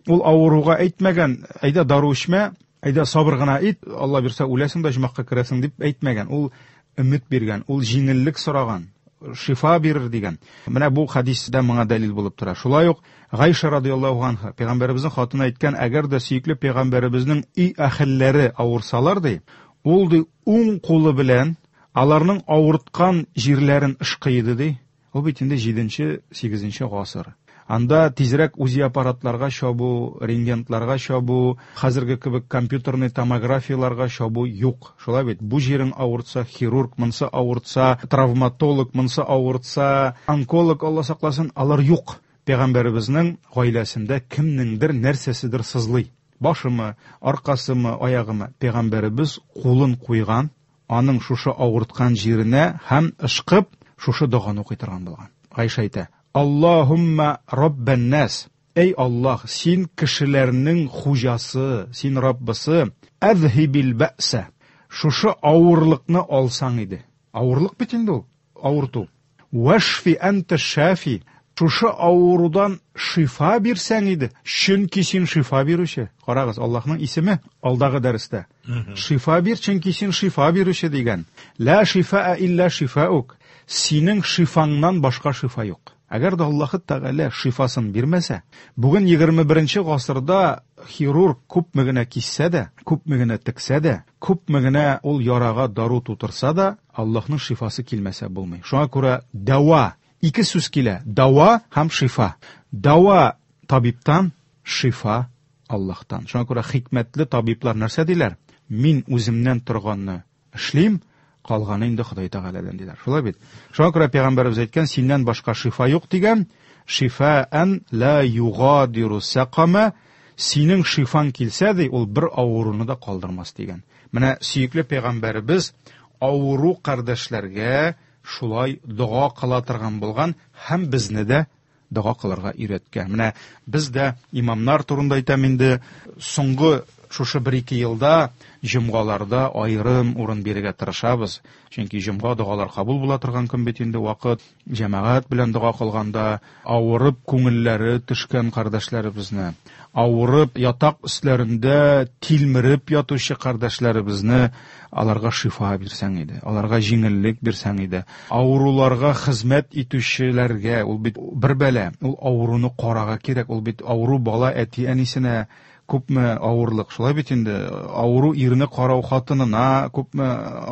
ул авыруга әйтмәгән, әйдә дару эчмә, әйдә сабыр гына ит, Алла бирсә үләсең дә оҗмахка керәсең дип әйтмәгән. Ул өмет биргән, ул җиңеллек сораган, шифа бирер дигән. Менә бу хәдис дә моңа дәлил булып тора. Шулай ук Гайша радияллаһу анха, пәйгамбәребезнең хатыны әйткән, әгәр дә сөекле пәйгамбәребезнең өй әһелләре авырсалар, ди, ул ди уң кулы белән аларның авырткан җирләрен ышкый иде, ди. Ул бит инде җиденче, сигезенче гасыр. Анда тизрәк УЗИ аппаратларга чабу, рентгентларга чабу, хәзерге кебек компьютерный томографияләргә чабу юк. Шулай бит? Бу җирең авыртса, хирург, монсы авыртса, травматолог, монсы авыртса, онколог, Алла сакласын, алар юк. Пәйгамбәребезнең гаиләсендә кемнеңдер нәрсәседер сызлый. Башымы, аркасымы, аягымы. Пәйгамбәребез кулын куйган, аның шушы авырткан җиренә һәм ышкып, шушы доганы укый торган булган. Гайшә әйтә, Аллаһумма раббан нас, әй Аллаһ, син кешеләрнең хуҗасы, син Раббысы, әзһибил бәсә, шушы авырлыкны алсаң иде. Авырлык бит инде ул, авырту. Вәшфи әнтә шафи, шушы авырудан шифа бирсәң иде, чөнки син шифа бирүче. Карагыз, Аллаһның исеме алдагы дәрестә. Шифа бир, чөнки син шифа бирүче дигән. Ла шифаа илля шифаук. Синең шифаңнан башка шифа юк. Әгәр дә Аллаһы Тәгалә шифасын бирмәсә, бүген 21 гасырда хирург күпме генә киссә дә, күпме генә тексә дә, күпме генә ул ярага дару тутырса да, Аллаһның шифасы килмәсә булмый. Шуңа күрә дәва, ике сүз килә, дәва һәм шифа. Дәва табибтан, шифа Аллаһтан. Шуңа күрә хикмәтле табиблар нәрсә диләр? Мин үземнән торганны эшлим, калганы инде Ходай Тәгаләдән диләр. Шулай бит? Шуңа күрә пәйгамбәребез әйткән, синнән башка шифа юк дигән, шифаан ла югадиру сакама, синең шифаң килсә ди, ул бер авыруны да калдырмас дигән. Менә сөекле пәйгамбәребез авыру кардәшләргә шулай дога кыла торган булган һәм безне дә дога кылырга өйрәткән. Менә без дә имамнар турында әйтәм инде, соңгы шушы бер-ике елда җомгаларда аерым урын бирергә тырышабыз. Чөнки җомга догалар кабул була торган көн бит инде, вакыт. Җәмәгать белән дога кылганда авырып күңелләре төшкән кардәшләребезне, авырып ятак өсләрендә тилмереп ятучы кардәшләребезне аларга шифа бирсәң иде, аларга җиңеллек бирсәң иде. Авыруларга хезмәт итүчеләргә, ул бит бер бәла, ул авыруны карага кирәк, ул бит авыру бала әти-әнисенә күпме авырлык, шулай бит инде, авыру ирне карау хатынына күпме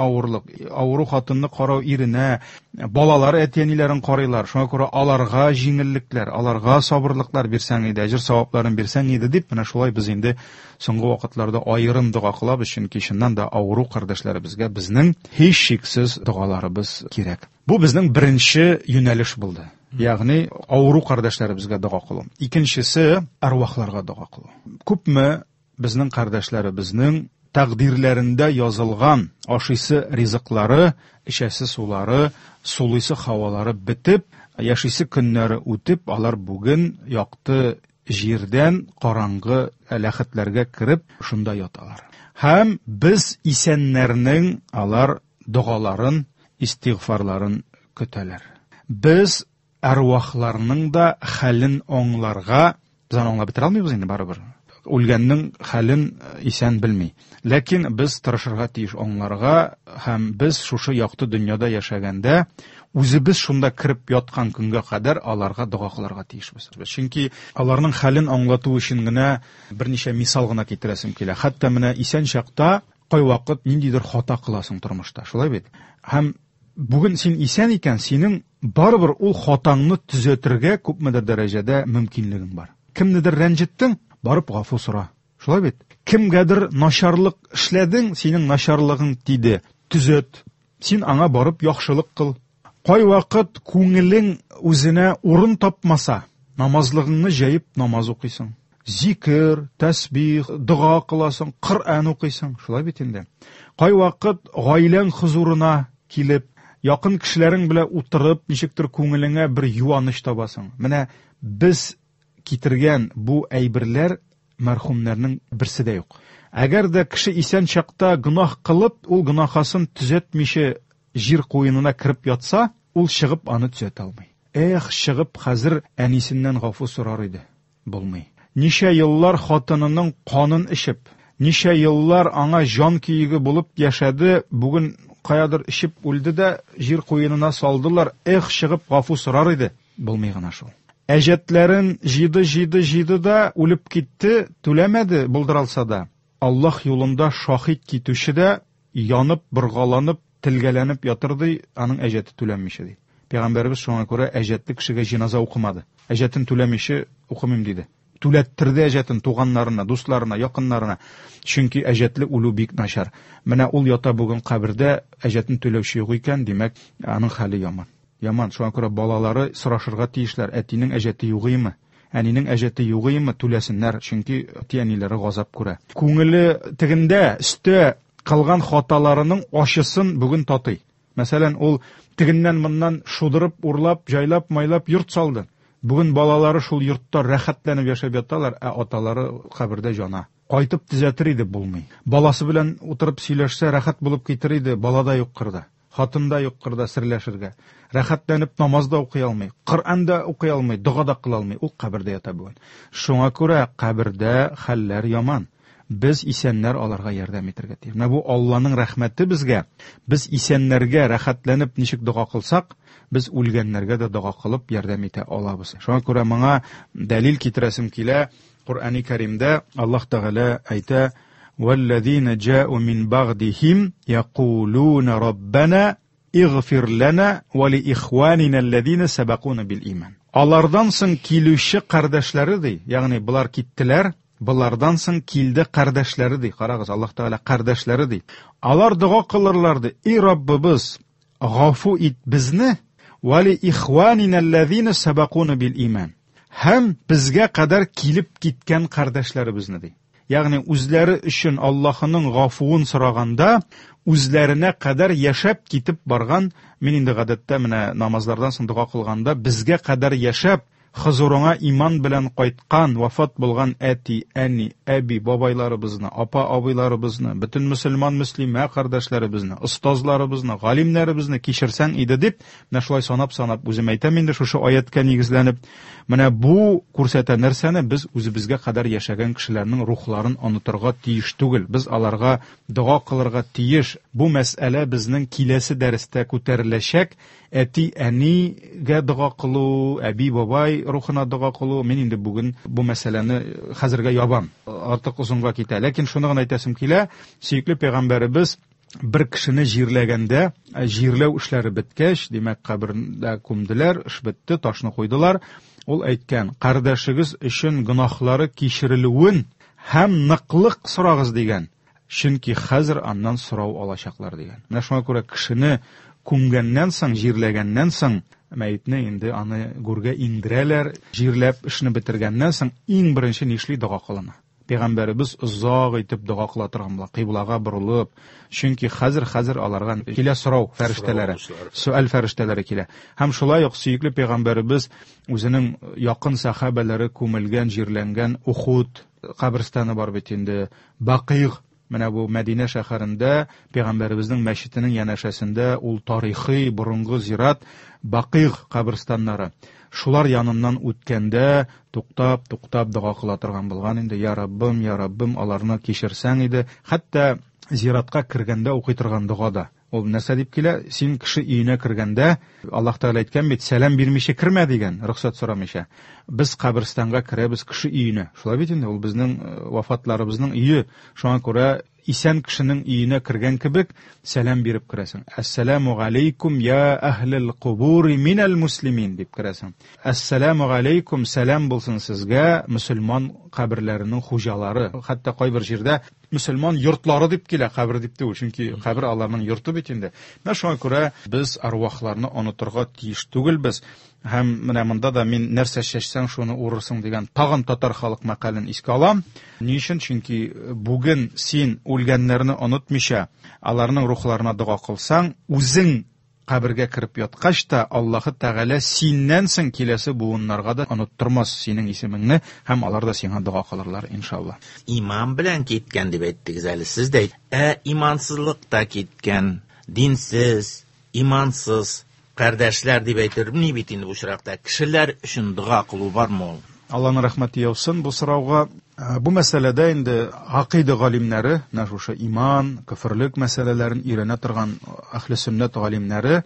авырлык, авыру хатынны карау иренә, балалар әти-әниләрен карыйлар, шуңа күрә аларга җиңеллекләр, аларга сабырлыклар бирсәң иде, әҗер савапларын бирсәң иде дип, менә шулай без инде соңгы вакытларда аерым дога кылабыз, чөнки чыннан да авыру кардәшләребезгә безнең һичшиксез догаларыбыз кирәк. Бу безнең беренче юнәлеш булды. Ягъни авыру кардәшләребезгә дога кылу. Икенчесе әрвахларга дога кылу. Күпме безнең кардәшләребезнең тәкъдирләрендә язылган ашыйсы ризыклары, эчәсе сулары, сулыйсы һавалары бетеп, яшисе көннәре үтеп, алар бүген якты җирдән караңгы ләхетләргә кереп, шунда яталар. Һәм без исәннәрнең алар догаларын, истигъфарларын көтәләр. Без әрвахларның да хәлен аңларга, без аны аңлап бетерә алмыйбыз инде барыбер. Үлгәннең хәлен исән белми. Ләкин без тырышырга тиеш аңларга һәм без шушы якты дөньяда яшәгәндә үзебез шунда кереп яткан көнгә кадәр аларга дога кылырга тиешбез. Чөнки аларның хәлен аңлату өчен генә берничә мисал гына китерәсем килә. Хәтта менә исән чакта кайвакыт ниндидер хата кыласың тормышта, шулай бит? Һәм бүген син исән икән, синең барыбер ул хатаңны төзәтергә күпмедер дәрәҗәдә мөмкинлегең бар. Кемнедер рәнҗеттең, барып гафу сора. Шулай бит? Кемгәдер начарлык эшләдең, синең начарлыгың тиде, төзәт. Син аңа барып яхшылык кыл. Кайвакыт күңелең үзенә урын тапмаса, намазлыгыңны җәеп намаз укыйсың. Зикер, тәсбих, дога кыласың, Коръән укыйсың. Шулай бит инде. Кайвакыт гаиләң хозурына килеп, якын кешеләрең белән утырып, ничектер күңелеңә бер юаныч табасың. Менә без китергән бу әйберләр мәрхүмнәрнең берсе дә юк. Әгәр дә кеше исән чакта гөнаһ кылып, ул гөнаһасын төзәтмичә җир куенына кереп ятса, ул чыгып аны төзәтә алмый. Эх, чыгып хәзер әнисеннән гафу сорар иде. Булмый. Ничә еллар хатынының канын эчеп, ничә еллар аңа җан көеге булып яшәде, бүген каядыр эчеп үлде дә җир куенына салдылар. Эх, чыгып гафу сорар иде. Булмый гына шул. Әҗәтләрен җыйды, җыйды, җыйды да үлеп китте, түләмәде, булдыралса да. Аллаһ юлында шаһит китүче дә янып, боргаланып, телгәләнеп ятыр ди, аның әҗәте түләнмичә ди. Пәйгамбәребез шуңа күрә әҗәтле кешегә җеназа укымады. Әҗәтен түләмичә укымыйм диде. Түләттерде әҗәтен туганнарына, дусларына, якыннарына. Чөнки әҗәтле үлү бик начар. Менә ул ята бүген кабердә, әҗәтен түләүче юк икән, димәк, аның хәле яман. Яман, шуңа күрә балалары сорашырга тиешләр, әтинең әҗәте югыймы? Әнинең әҗәте югыймы? Түләсеннәр, чөнки әти-әниләре газап күрә. Күңеле тегендә, өстә кылган хаталарының ачысын бүген татый. Мәсәлән, ул тегеннән-моннан шудырып, урлап, җайлап-майлап йорт салды. Бүген балалары шул йортта рәхәтләнеп яшәп яталар, ә аталары кабердә җана. Кайтып төзәтер иде, булмый. Баласы белән утырып сөйләшсә, рәхәт булып китер иде, бала да юк кырда. Хатын да юк кырда серләшергә. Рәхәтләнеп намаз да укый алмый, Коръән дә укый алмый, дога да кыла алмый. Ул кабердә ята бүген. Шуңа күрә кабердә хәлләр яман. Без исәннәр аларга ярдәм итәргә тиеш. Менә бу Алланың рәхмәте безгә. Без исәннәргә рәхәтләнеп ничек дога кылсак, без үлгәннәргә дә дога кылып ярдәм итә алабыз. Шуңа күрә моңа дәлил китерәсем килә. Коръәни Кәримдә Аллаһ Тәгалә әйтә: "Валлазина җа'у мин бәгъдихим якулуна раббана игъфир лана ва ли ихванина аллазина сабакуна бил иман". Алардан соң килүче кардәшләре ди, ягъни болар киттеләр, Болардан соң килде кардәшләре ди. Карагыз, Аллаһ Тәгалә кардәшләре ди. Алар дога кылырлар ди. И Раббыбыз, гафу ит безне, ва ли ихванина аллазина сабакуна бил иман. Һәм безгә кадәр килеп киткән кардәшләребезне ди. Ягъни үзләре өчен Аллаһының гафуын сораганда, үзләренә кадәр яшәп китеп барган, мин инде гадәттә менә намазлардан соң дога кылганда, безгә кадәр яшәп, Хозурыңа иман белән кайткан, вафат булган әти, әни, әби, бабайларыбызны, апа, абыйларыбызны, бөтен мөселман, мөслимә кардәшләребезне, остазларыбызны, галимнәребезне кичерсәң иде дип, менә шулай санап-санап үзем әйтәм инде шушы аятькә нигезләнеп. Менә бу күрсәтә нәрсәне? Без үзебезгә кадәр яшәгән кешеләрнең рухларын онытырга тиеш түгел. Без аларга дога кылырга тиеш. Бу мәсьәлә безнең киләсе дәрестә күтәреләчәк. Әти-әнигә дога кылу, әби-бабай рухына дога кылу, мин инде бүген бу мәсьәләне хәзергә ябам. Артык озынга китә. Ләкин шуны гына әйтәсем килә, сөекле пәйгамбәребез бер кешене җирләгәндә, җирләү эшләре беткәч, димәк, кабердә күмделәр, эш бетте, ташны куйдылар. Ул әйткән, кардәшегез өчен гөнаһлары кичерелүен һәм ныклык сорагыз дигән. Чөнки хәзер аннан сорау алачаклар дигән. Менә шуңа күрә кешене күмгәннән соң, җирләгәннән соң, мәетне инде аны гүргә иңдерәләр, җирләп эшне бетергәннән соң иң беренче нишли дога кылына. Пәйгамбәребез озак итеп дога кыла торган була, кыйблага борылып, чөнки хәзер-хәзер аларга килә сорау фәрештәләре, сөаль фәрештәләре килә. Һәм шулай ук сөекле пәйгамбәребез үзенең якын сәхабәләре күмелгән, җирләнгән Ухуд каберстаны бар бит инде, Бакыйг, менә бу Мәдинә шәһәрендә пәйгамбәребезнең мәчетенең янәшәсендә ул тарихи борынгы зират Бакыйг каберстаннары. Шулар яныннан үткәндә туктап, туктап дога кыла торган булган инде, Я Раббым, я Раббым, аларны кичерсәң иде. Хәтта зиратка кергәндә укый торган дога да. Ул нәрсә дип килә? Син кеше өенә кергәндә, Аллаһ Тәгалә әйткән бит, сәлам бирмичә кермә дигән, рөхсәт сорамыйча. Без каберстанга керәбез кеше өенә. Шулай бит инде, ул безнең э, вафатларыбызның өе. Шуңа күрә исән кешенең өенә кергән кебек сәлам биреп керәсең. Әссәламу галәйкум я әһлел кубури минәл муслимин дип керәсең. Әссәламу галәйкум, сәлам булсын сезгә, мөселман каберләренең хуҗалары. Хәтта кайбер җирдә мөселман йортлары дип килә, кабер дип түгел, чөнки кабер аларның йорты бит инде. Менә шуңа күрә без арвахларны онытырга тиеш түгелбез. Һәм менә монда да мин нәрсә чәчсәң, шуны урырсың дигән тагын татар халык мәкален искә алам. Ни өчен? Чөнки бүген син үлгәннәрне онытмыйча, аларның рухларына дога кылсаң, үзең Кабергә кереп яткач та, Аллаһы Тәгалә синнән соң киләсе буыннарга да оныттырмас синең исемеңне һәм алар да сиңа дога кылырлар, иншалла. Иман белән киткән дип әйттегез әле сез дә. Ә имансызлыкта киткән, динсез, имансыз кардәшләр дип әйтер ни бит инде бу очракта. Кешеләр өчен дога кылу бармы ул? Алланың рәхмәте яусын бу сорауга. Бу мәсьәләдә инде гакыйда галимнәре, менә шушы иман, көферлек мәсьәләләрен өйрәнә торган әһле сөннәт галимнәре,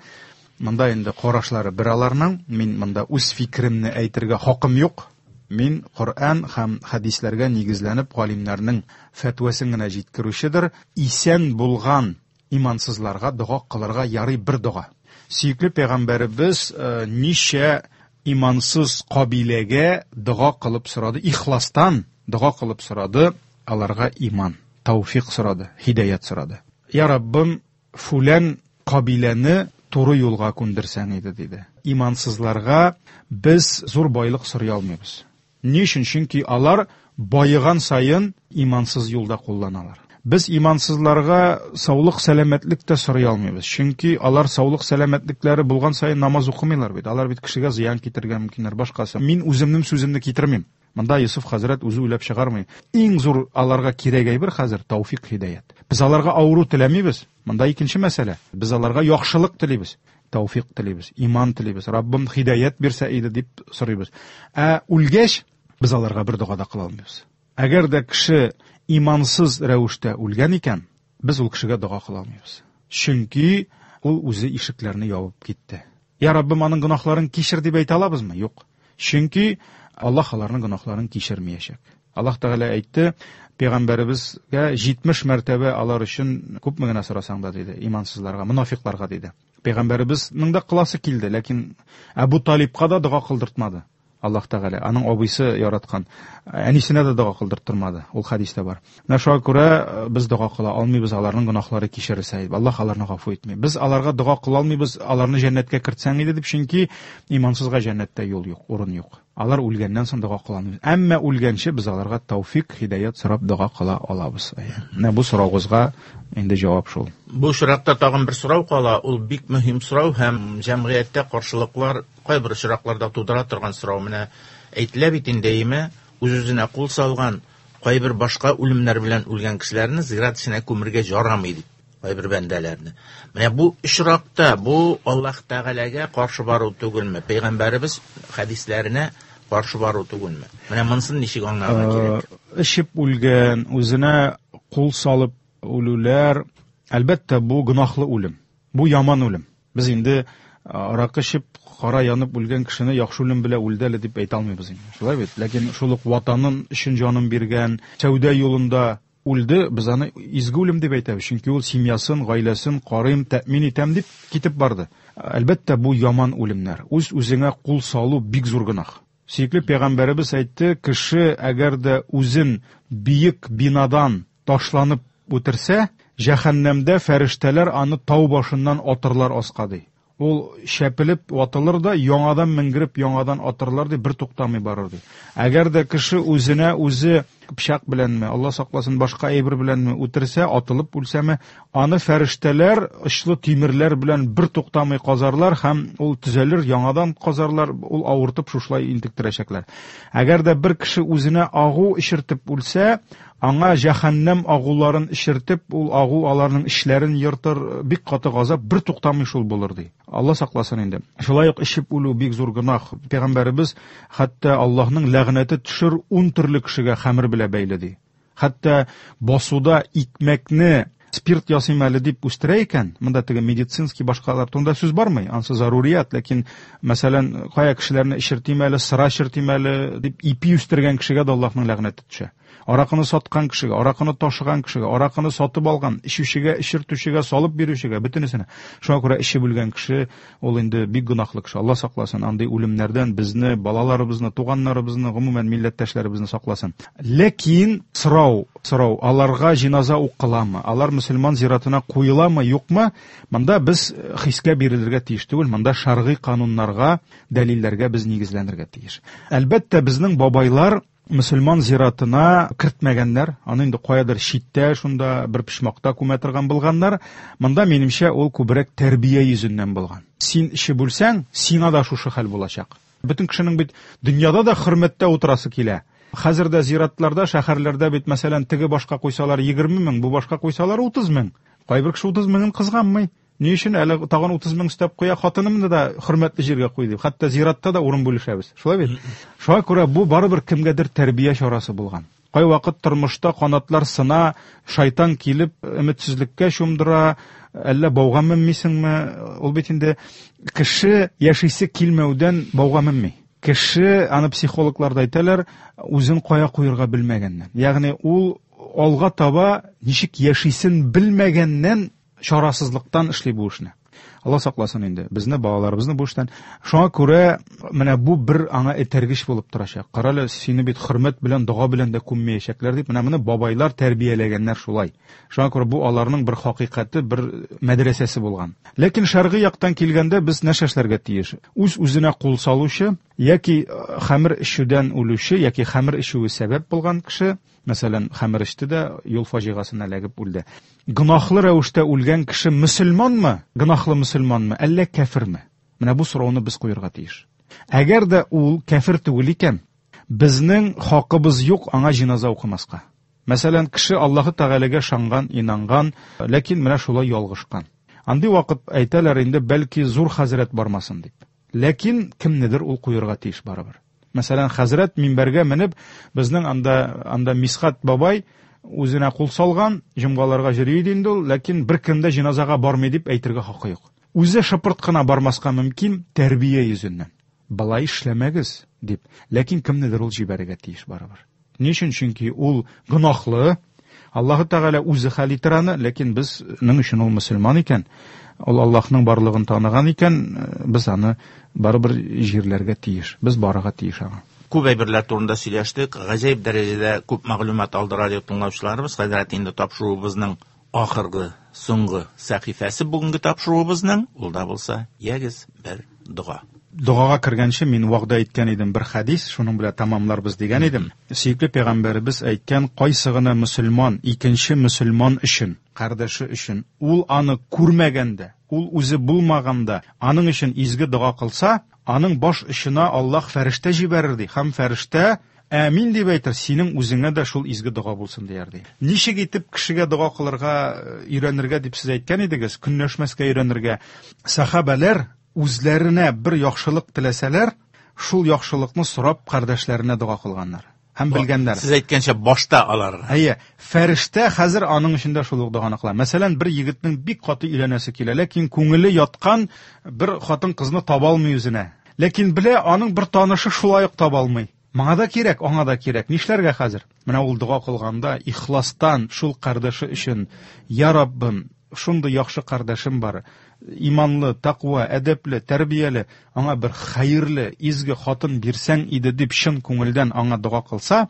монда инде карашлары бер аларның. Мин монда үз фикеремне әйтергә хакым юк. Мин Коръән һәм хәдисләргә нигезләнеп галимнәрнең фәтвәсен генә җиткерүчедер. Исән булган имансызларга дога кылырга ярый бер дога. Сөекле пәйгамбәребез ничә имансыз кабиләгә дога кылып сорады, ихластан дога кылып сорады, аларга иман, тауфик сорады, һидаят сорады. Я Раббым, фүлән кабиләне туры юлга күндерсәң иде, диде. Имансызларга без зур байлык сорый алмыйбыз. Ни өчен? Чөнки алар байыган саен имансыз юлда кулланалар. Без имансызларга саулык, сәламәтлек тә сорый алмыйбыз. Чөнки алар саулык, сәламәтлекләре булган саен намаз укымыйлар бит. Алар бит кешегә зыян китерергә мөмкиннәр, башкасы. Мин үземнең сүземне китермим. Монда Юсуф хәзрәт үзе уйлап чыгармый. Иң зур аларга кирәк әйбер хәзер тауфик, һидаят. Без аларга авыру теләмибез. Монда икенче мәсьәлә. Без аларга яхшылык телибез. Тауфик телибез, иман телибез. Раббым һидаят бирсә иде дип сорыйбыз. Ә үлгәч без аларга бер дога да кыла алмыйбыз. Әгәр дә кеше имансыз рәвештә үлгән икән, без ул кешегә дога кыла алмыйбыз. Чөнки ул үзе ишекләрне ябып китте. Я Раббым, аның гөнаһларын кичер дип әйтә алабызмы? Юк. Чөнки Аллаһ аларның гөнаһларын кичермәячәк. Аллаһ Тәгалә әйтте, пәйгамбәребезгә 70 мәртәбә алар өчен күпме генә сорасаң да диде, имансызларга, мунафикларга диде. Пәйгамбәребезнең дә кыласы килде, ләкин Әбу Талибка да дога кылдыртмады. Аллаһ Тәгалә аның абыйсы яраткан әнисенә дә дога кылдырттырмады. Ул хәдистә бар. Менә шуңа күрә без дога кыла алмыйбыз, аларның гөнаһлары кичерелсә иде. Аллаһ аларны гафу итми. Без аларга дога кыла алмыйбыз, аларны җәннәткә кертсәң иде дип, чөнки имансызга җәннәттә юл юк, урын юк. Алар үлгәннән соң дога кыла алмыйбыз. Әмма үлгәнче без аларга тауфик, һидаят сорап дога кыла алабыз. Менә бу сораугызга инде җавап шул. Бу очракта тагын бер сорау кала, ул бик мөһим сорау һәм җәмгыятьтә каршылыклар кайбер очракларда тудыра торган сорау. Менә әйтелә бит инде, әйеме, үз-үзенә кул салган, кайбер башка үлемнәр белән үлгән кешеләрне зират эченә күмергә ярамый дип, кайбер бәндәләрне. Менә бу очракта бу Аллаһ Тәгаләгә каршы бару түгелме? Пәйгамбәребез хәдисләренә каршы бару түгелме? Менә монысын ничек аңларга кирәк? Эчеп үлгән, үзенә кул салып үлүләр, әлбәттә, бу гөнаһлы үлем. Бу яман үлем. Без инде аракы эчеп, кара янып үлгән кешене яхшы үлем белән үлде әле дип әйтә алмыйбыз инде. Шулай бит? Ләкин шул ук ватанын өчен җанын биргән, сәүдә юлында үлде, без аны изге үлем дип әйтәбез. Чөнки ул семьясын, гаиләсен карыйм, тәэмин итәм дип китеп барды. Әлбәттә, бу яман үлемнәр. Үз-үзеңә кул салу бик зур гөнаһ. Сөекле пәйгамбәребез әйтте, кеше әгәр дә үзен биек бинадан ташланып үтерсә, җәһәннәмдә фәрештәләр аны тау башыннан атырлар аска ди. Ул шәпелеп ватылыр да, яңадан менгереп, яңадан атырлар ди, бер туктамый барыр ди. Әгәр дә кеше үзенә үзе пычак беләнме, Алла сакласын, башка әйбер беләнме үтерсә, атылып үлсәме, аны фәрештәләр очлы тимерләр белән бер туктамый казарлар һәм ул төзәлер, яңадан казарлар, ул авыртып шушылай интектерәчәкләр. Әгәр дә бер кеше үзенә агу эчертеп үлсә, аңа җәһәннәм агуларын эчертеп, ул агу аларның эчләрен ертыр, бик каты газап, бер туктамый шул булыр ди. Алла сакласын инде. Шулай ук эчеп үлү бик зур гөнаһ. Пәйгамбәребез хәтта Аллаһның ләгънәте төшер 10 төрле кешегә хәмер белән бәйле ди. Хәтта басуда икмәкне спирт ясыйм әле дип үстерә икән, монда теге медицинский башкалар турында сүз бармый, ансы зарурият, ләкин мәсәлән, кая кешеләрне эчертим әле, сыра эчертим әле дип ипи үстергән кешегә дә Аллаһның ләгънәте төшә. Аракыны саткан кешегә, аракыны ташыган кешегә, аракыны сатып алган, эчүчегә, эчертүчегә, салып бирүчегә, бөтенесенә. Шуңа күрә эчеп үлгән кеше ул инде бик гөнаһлы кеше. Алла сакласын андый үлемнәрдән безне, балаларыбызны, туганнарыбызны, гомумән милләттәшләребезне сакласын. Ләкин сорау, аларга җиназа укыламы? Алар мөселман зиратына куеламы, юкмы? Монда без хискә бирелергә тиеш түгел, монда шәргый кануннарга, дәлилләргә без нигезләнергә тиеш. Әлбәттә, безнең бабайлар Мөселман зиратына кертмәгәннәр, аны инде каядыр читтә, шунда бер почмакта күмә торган булганнар. Монда, минемчә, ул күбрәк тәрбия йөзеннән булган. Син эчеп үлсәң, сиңа да шушы хәл булачак. Бөтен кешенең бит дөньяда да хөрмәттә утырасы килә. Хәзер дә зиратларда, шәһәрләрдә бит, мәсәлән, теге башка куйсалар 20 мең, бу башка куйсалар 30 мең. Кайбер кеше 30 меңен кызганмый. Ни өчен әле тагын 30 мең өстәп куя, хатынымны да хөрмәтле җиргә куй дип. Хәтта зиратта да урын бүлешәбез. Шулай бит? Шуңа күрә бу барыбер кемгәдер тәрбия чарасы булган. Кайвакыт тормышта канатлар сына, шайтан килеп өметсезлеккә чумдыра, әллә бауга менмисеңме? Ул бит инде кеше яшисе килмәүдән бауга менми. Кеше, аны психологлар да әйтәләр, үзен кая куерга белмәгәннән. Ягъни ул алга таба ничек яшисен белмәгәннән чарасызлыктан эшли бу эшне. Алла сакласын инде безне, балаларыбызны бу эштән. Шуңа күрә менә бу бер аңа этәргеч булып торачак. Карале, сине бит хөрмәт белән, дога белән дә күммәячәкләр дип, менә моны бабайлар тәрбияләгәннәр шулай. Шуңа күрә бу аларның бер хакыйкате, бер мәдрәсәсе булган. Ләкин шәргый яктан килгәндә без нәрсә эшләргә тиеш? Үз-үзенә кул салучы яки хәмер эчүдән үлүче яки хәмер эчүе сәбәп булган кеше, Мәсәлән, хәмер эчте дә юл фаҗигасенә эләгеп үлде. Гөнаһлы рәвештә үлгән кеше мөселманмы, гөнаһлы мөселманмы, әллә кәферме? Менә бу сорауны без куерга тиеш. Әгәр дә ул кәфер түгел икән, безнең хакыбыз юк аңа җиназа укымаска. Мәсәлән, кеше Аллаһы Тәгаләгә ышанган, инанган, ләкин менә шулай ялгышкан. Андый вакыт әйтәләр инде, бәлки зур хәзрәт бармасын дип. Ләкин кемнедер ул куерга тиеш барыбер. Мәсәлән, хәзрәт минбәргә менеп, безнең анда анда Мисхат бабай үзенә кул салган, җомгаларга йөри иде инде ул, ләкин беркем дә җеназага бармый дип әйтергә хакы юк. Үзе шыпырт кына бармаска мөмкин тәрбия йөзеннән. Болай эшләмәгез, дип. Ләкин кемнедер ул җибәрергә тиеш барыбер. Ни өчен? Чөнки ул гөнаһлы. Аллаһы Тәгалә үзе хәл итер аны, ләкин безнең өчен ул мөселман икән, ул Аллаһның барлыгын таныган икән, без аны барыбер җирләргә тиеш. Без барырга тиеш аңа. Күп әйберләр турында сөйләштек, гаҗәеп дәрәҗәдә күп мәгълүмат алды радио тыңлаучыларыбыз. Хәзрәт, инде тапшыруыбызның ахыргы, соңгы сәхифәсе бүгенге тапшыруыбызның, ул да булса, ягез бер дога. Догага кергәнче мин вәгъдә иткән идем бер хәдис, шуның белән тәмамларбыз дигән идем. Сөекле пәйгамбәребез әйткән, кайсы гына мөселман икенче мөселман өчен, кардәше өчен, ул аны күрмәгәндә, ул үзе булмаганда, аның өчен изге дога кылса, аның баш очына Аллаһ фәрештә җибәрер ди, һәм фәрештә Әмин дип әйтер, синең үзеңә дә шул изге дога булсын дияр ди. Ничек итеп кешегә дога кылырга өйрәнергә дип сез әйткән идегез, көнләшмәскә өйрәнергә. Сәхабәләр үзләренә бер яхшылык теләсәләр, шул яхшылыкны сорап кардәшләренә дога кылганнар һәм белгәннәр. Сез әйткәнчә башта алар. Әйе, фәрештә хәзер аның өчен дә шул ук доганы кыла. Мәсәлән, бер егетнең бик каты өйләнәсе килә, ләкин күңеле яткан бер хатын-кызны таба алмый үзенә. Ләкин белә, аның бер танышы шулай ук таба алмый. Моңа да кирәк, аңа да кирәк. Нишләргә хәзер? Менә ул дога кылганда ихластан шул кардәше өчен, Я Раббым, шундый яхшы кардәшем бар, иманлы, тәкъва, әдәпле, тәрбияле, аңа бер хәерле, изге хатын бирсәң иде дип чын күңелдән аңа дога кылса,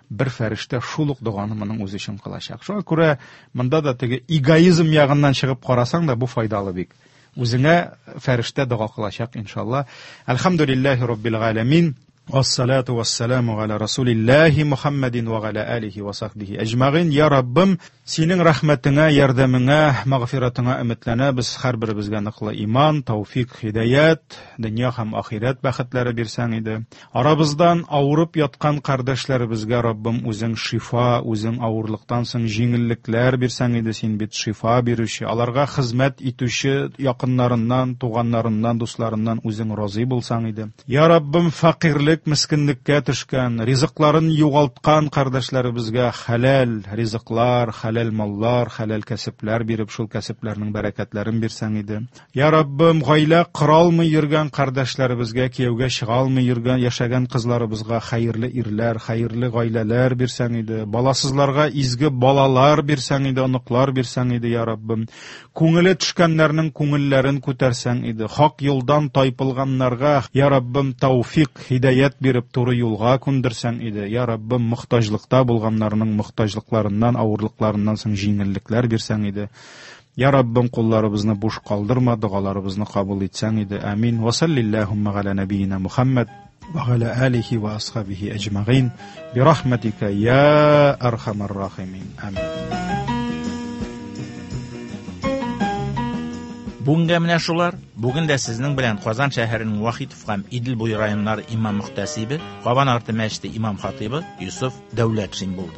бер фәрештә шул ук доганы моның үзе өчен кылачак. Шуңа күрә монда да теге эгоизм ягыннан чыгып карасаң да бу файдалы бик. Үзеңә фәрештә дога кылачак, иншалла. Әлхәмдүлилләһи раббил галәмин. Вассалату вассаламу галя расулилләһи Мухаммадин ва галя алихи ва сахбихи әҗмәгыйн. Я Раббым, синең рәхмәтеңә, ярдәмеңә, мәгъфиратыңа өметләнәбез. Һәрберебезгә ныклы иман, тауфик, һидаят, дөнья һәм ахирәт бәхетләре бирсәң иде. Арабыздан авырып яткан кардәшләребезгә, Раббым, үзең шифа, үзең авырлыктан соң җиңеллекләр бирсәң иде. Син бит шифа бирүче, аларга хезмәт итүче якыннарыннан, туганнарыннан, дусларыннан үзең разый булсаң иде. Я Раббым, фәкыйрьлек, мескенлеккә төшкән, ризыкларын югалткан кардәшләребезгә хәләл ризыклар, хәләл маллар, хәләл кәсепләр биреп, шул кәсепләрнең бәрәкәтләрен бирсәң иде. Я Раббым, гаилә кора алмый йөргән кардәшләребезгә, кияүгә чыга алмый йөргән, яшәгән кызларыбызга хәерле ирләр, хәерле гаиләләр бирсәң иде. Баласызларга изге балалар бирсәң иде, оныклар бирсәң иде, я Раббым. Күңеле төшкәннәрнең күңелләрен күтәрсәң иде, хак юлдан тайпылганнарга, я Раббым, тауфик, һидаять биреп, туры юлга күндерсәң иде, я Раббым, мохтаҗлыкта булганнарның мохтаҗлыкларыннан, авырлыкларыннан соң җиңеллекләр бирсәң иде. Я Раббым, кулларыбызны буш калдырма, догаларыбызны кабул итсәң иде. Амин. Ва саллиллахумма галя нәбиина Мухаммад. وعلى آله وأصحابه أجمعين برحمتك يا أرحم الراحمين آمين. Бүгенгә менә шулар. Бүген дә сезнең белән Казан шәһәренең Вахитов һәм Идел буе районнары имам мөхтәсибе, Кабан арты мәчете имам хатыйбы Юсуф Дәүләтшин булды.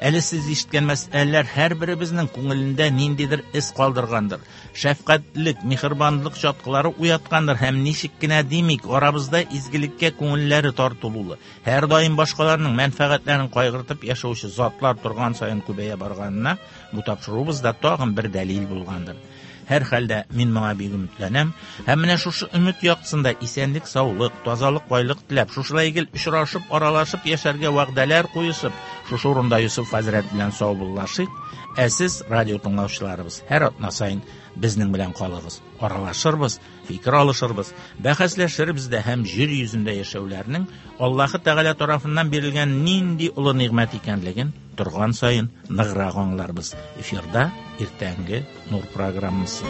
Әле сез ишеткән мәсьәләләр һәрберебезнең күңелендә ниндидер эз калдыргандыр. Шәфкатьлек, миһербанлык чаткылары уяткандыр һәм ничек кенә димик, арабызда изгелеккә күңелләре тартылулы, һәр даим башкаларның мәнфәгатьләрен кайгыртып яшәүче затлар торган саен күбәя барганына бу тапшыруыбыз да тагын бер дәлил булгандыр. Һәр хәлдә мин моңа бик өметләнәм һәм менә шушы өмет яктысында исәнлек, саулык, тазалык, байлык теләп, шушылай гел очрашып, аралашып яшәргә вәгъдәләр куешып, шушы урында Юсуф хәзрәт белән саубуллашыйк. Ә сез, радио тыңлаучыларыбыз, һәр атна саен безнең белән калыгыз. Аралашырбыз, фикер алышырбыз, бәхәсләшербез дә һәм җир йөзендә яшәүләрнең Аллаһы Тәгалә тарафыннан бирелгән нинди олы нигъмәт икәнлеген торган саен ныграк аңларбыз. Эфирда иртәнге Нур программасы.